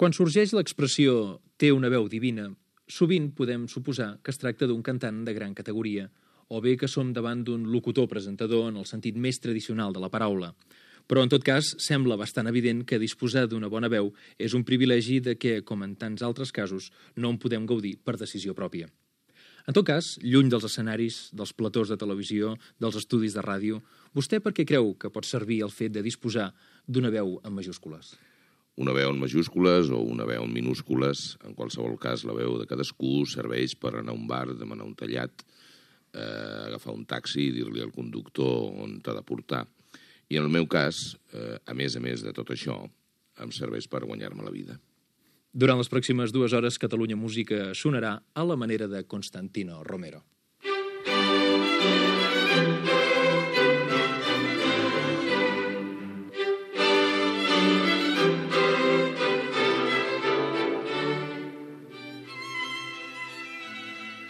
Quan sorgeix l'expressió «té una veu divina», sovint podem suposar que es tracta d'un cantant de gran categoria, o bé que som davant d'un locutor-presentador en el sentit més tradicional de la paraula. Però, en tot cas, sembla bastant evident que disposar d'una bona veu és un privilegi de què, com en tants altres casos, no en podem gaudir per decisió pròpia. En tot cas, lluny dels escenaris, dels platós de televisió, dels estudis de ràdio, vostè per què creu que pot servir el fet de disposar d'una veu en majúscules? Una veu en majúscules o una veu en minúscules, en qualsevol cas la veu de cadascú serveix per anar a un bar, demanar un tallat, agafar un taxi i dir-li al conductor on t'ha de portar. I en el meu cas, a més de tot això, em serveix per guanyar-me la vida. Durant les pròximes 2 hores, Catalunya Música sonarà a la manera de Constantino Romero.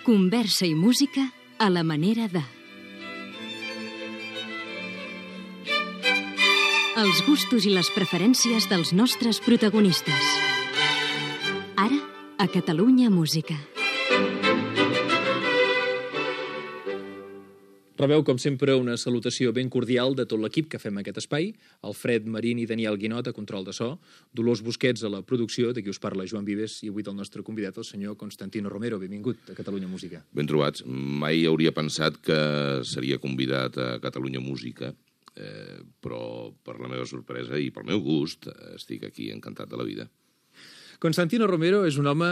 Conversa i música a la manera de... Els gustos i les preferències dels nostres protagonistes. Ara, a Catalunya Música. Rebeu, com sempre, una salutació ben cordial de tot l'equip que fem aquest espai, Alfred Marín i Daniel Guinot a control de so, Dolors Busquets a la producció, de qui us parla Joan Vives, i avui del nostre convidat, el senyor Constantino Romero. Benvingut a Catalunya Música. Ben trobats. Mai hauria pensat que seria convidat a Catalunya Música, però per la meva sorpresa i pel meu gust estic aquí encantat de la vida. Constantino Romero és un home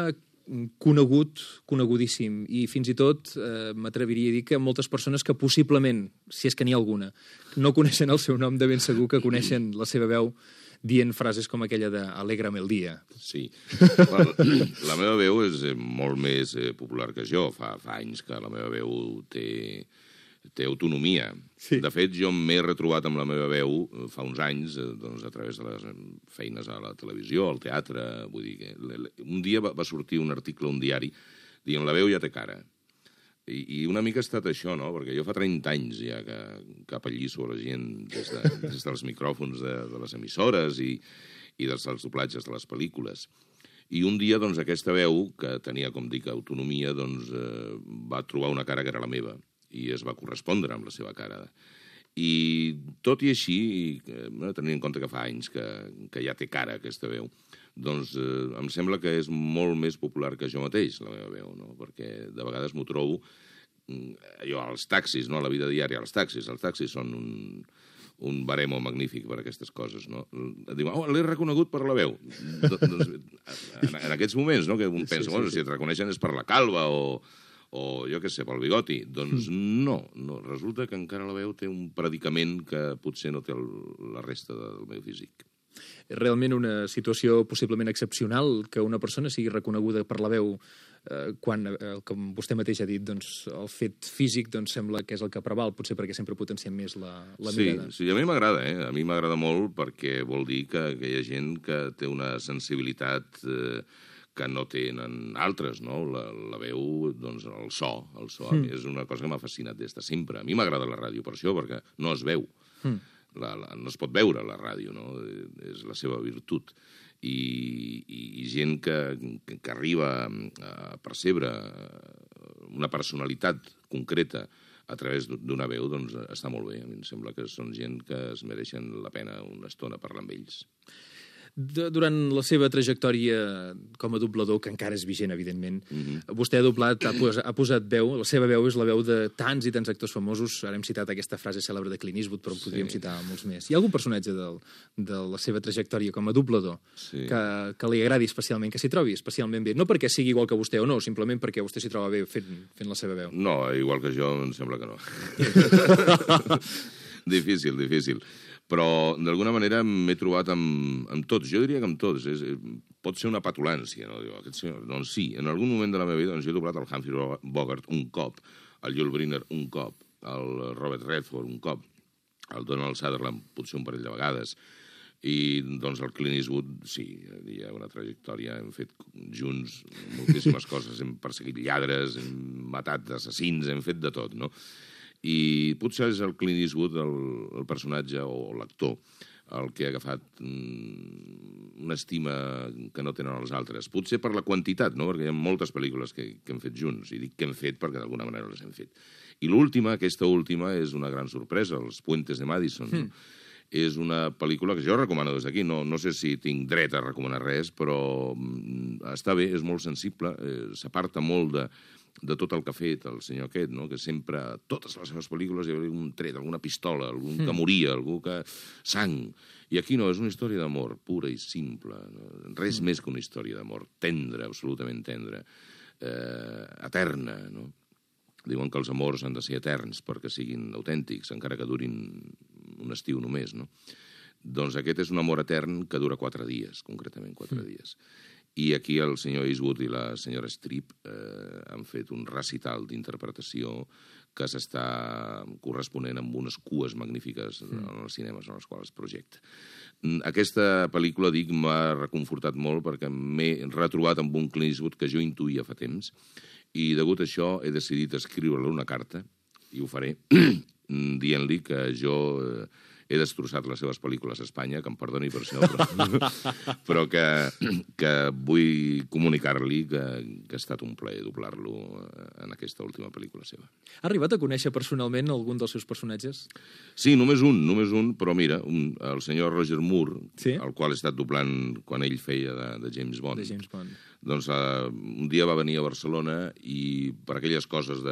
conegut, conegudíssim, i fins i tot m'atreviria a dir que moltes persones que possiblement, si és que n'hi ha alguna, no coneixen el seu nom, de ben segur que coneixen la seva veu dient frases com aquella de «Alegra'm el dia». Sí. La meva veu és molt més popular que jo. Fa anys que la meva veu té autonomia. Sí. De fet, jo m'he retrobat amb la meva veu fa uns anys a través de les feines a la televisió, al teatre. Vull dir que un dia va sortir un article a un diari dient «La veu ja té cara». I una mica ha estat això, no? Perquè jo fa 30 anys ja que apallisso a la gent des dels micròfons de les emissores i dels doblatges de les pel·lícules. I un dia, doncs, aquesta veu, que tenia, com dic, autonomia, doncs, va trobar una cara que era la meva i es va correspondre amb la seva cara. I tot i així, tenint en compte que fa anys que ja té cara aquesta veu, doncs em sembla que és molt més popular que jo mateix, la meva veu, no? Perquè de vegades m'ho trobo jo als taxis, no? A la vida diària, als taxis. Els taxis són un baremo magnífic per aquestes coses, no? Diu, l'he reconegut per la veu. Doncs, en aquests moments, no?, que un pensa, bueno, si et reconeixen és per la calva o jo què sé, pel bigoti. Doncs no, resulta que encara la veu té un predicament que potser no té la resta del meu físic. És realment una situació possiblement excepcional que una persona sigui reconeguda per la veu quan, com vostè mateix ha dit, doncs, el fet físic doncs, sembla que és el que preval, potser perquè sempre potenciem més la mirada. Sí, a mi m'agrada, a mi m'agrada molt perquè vol dir que hi ha gent que té una sensibilitat que no tenen altres, no? La veu, doncs, el so és una cosa que m'ha fascinat des de sempre. A mi m'agrada la ràdio per això, perquè no es veu. No es pot veure la ràdio, no? És la seva virtut. I gent que arriba a percebre una personalitat concreta a través d'una veu, doncs està molt bé. A mi em sembla que són gent que es mereixen la pena una estona parlar amb ells. Durant la seva trajectòria com a doblador, que encara és vigent, evidentment, vostè ha doblat, ha posat veu, la seva veu és la veu de tants i tants actors famosos. Ara hem citat aquesta frase cèlebre de Clint Eastwood, però en podríem citar molts més. Hi ha algun personatge de la seva trajectòria com a doblador que li agradi especialment, que s'hi trobi especialment bé? No perquè sigui igual que vostè o no, simplement perquè vostè s'hi troba bé fent la seva veu. No, igual que jo, em sembla que no. Difícil. Però, d'alguna manera, m'he trobat amb tots. Jo diria que amb tots. Pot ser una petulància, no? Doncs sí, en algun moment de la meva vida jo he doblat el Humphrey Bogart un cop, el Yul Brynner un cop, el Robert Redford un cop, el Donald Sutherland potser un parell de vegades, i doncs el Clint Eastwood, sí, hi ha una trajectòria, hem fet junts moltíssimes coses, hem perseguit lladres, hem matat assassins, hem fet de tot, no? I potser és el Clint Eastwood el personatge o l'actor el que ha agafat una estima que no tenen els altres. Potser per la quantitat, no? Perquè hi ha moltes pel·lícules que hem fet junts, i dic que hem fet perquè d'alguna manera les hem fet. I l'última, aquesta última, és una gran sorpresa, Els Puentes de Madison. És una pel·lícula que jo recomano des d'aquí. No sé si tinc dret a recomanar res, però està bé, és molt sensible, s'aparta molt de tot el que ha fet el senyor aquest, no? Que sempre, a totes les seves pel·lícules, hi havia un tret, alguna pistola, algú que moria, algú que... sang. I aquí no, és una història d'amor pura i simple. No? Res més que una història d'amor. Tendra, absolutament tendra. Eterna, no? Diuen que els amors han de ser eterns perquè siguin autèntics, encara que durin un estiu només, no? Doncs aquest és un amor etern que dura 4 dies, concretament 4 dies. I aquí el senyor Eastwood i la senyora Streep han fet un recital d'interpretació que s'està corresponent amb unes cues magnífiques en els cinemes en els quals es projecta. Aquesta pel·lícula, dic, m'ha reconfortat molt perquè m'he retrobat amb un Clint Eastwood que jo intuïa fa temps, i degut a això he decidit escriure-li una carta, i ho faré, dient-li que jo he destrossat les seves pel·lícules a Espanya, que em perdoni per això, però que vull comunicar-li que ha estat un plaer doblar-lo en aquesta última pel·lícula seva. Ha arribat a conèixer personalment algun dels seus personatges? Sí, només un, però mira, el senyor Roger Moore, sí? el qual he estat doblant quan ell feia de James Bond. De James Bond. Doncs un dia va venir a Barcelona i per aquelles coses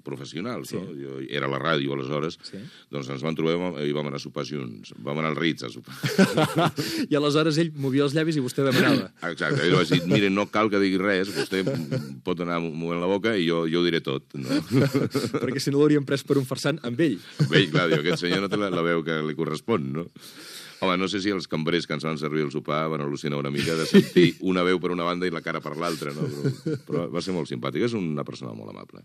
professionals, no? Jo era a la ràdio aleshores, doncs ens vam trobar i vam anar a sopar junts. Vam anar al Ritz a sopar. I aleshores ell movia els llavis i vostè demanava. Exacte, ell va dir, mire, no cal que digui res, vostè pot anar movent la boca i jo ho diré tot. No? Perquè si no l'hauríem pres per un farsant amb ell. Amb ell, clar, diu, aquest senyor no té la veu que li correspon, no? Home, no sé si els cambrers que ens van servir el sopar van al·lucinar una mica de sentir una veu per una banda i la cara per l'altra, no? Però va ser molt simpàtic. És una persona molt amable.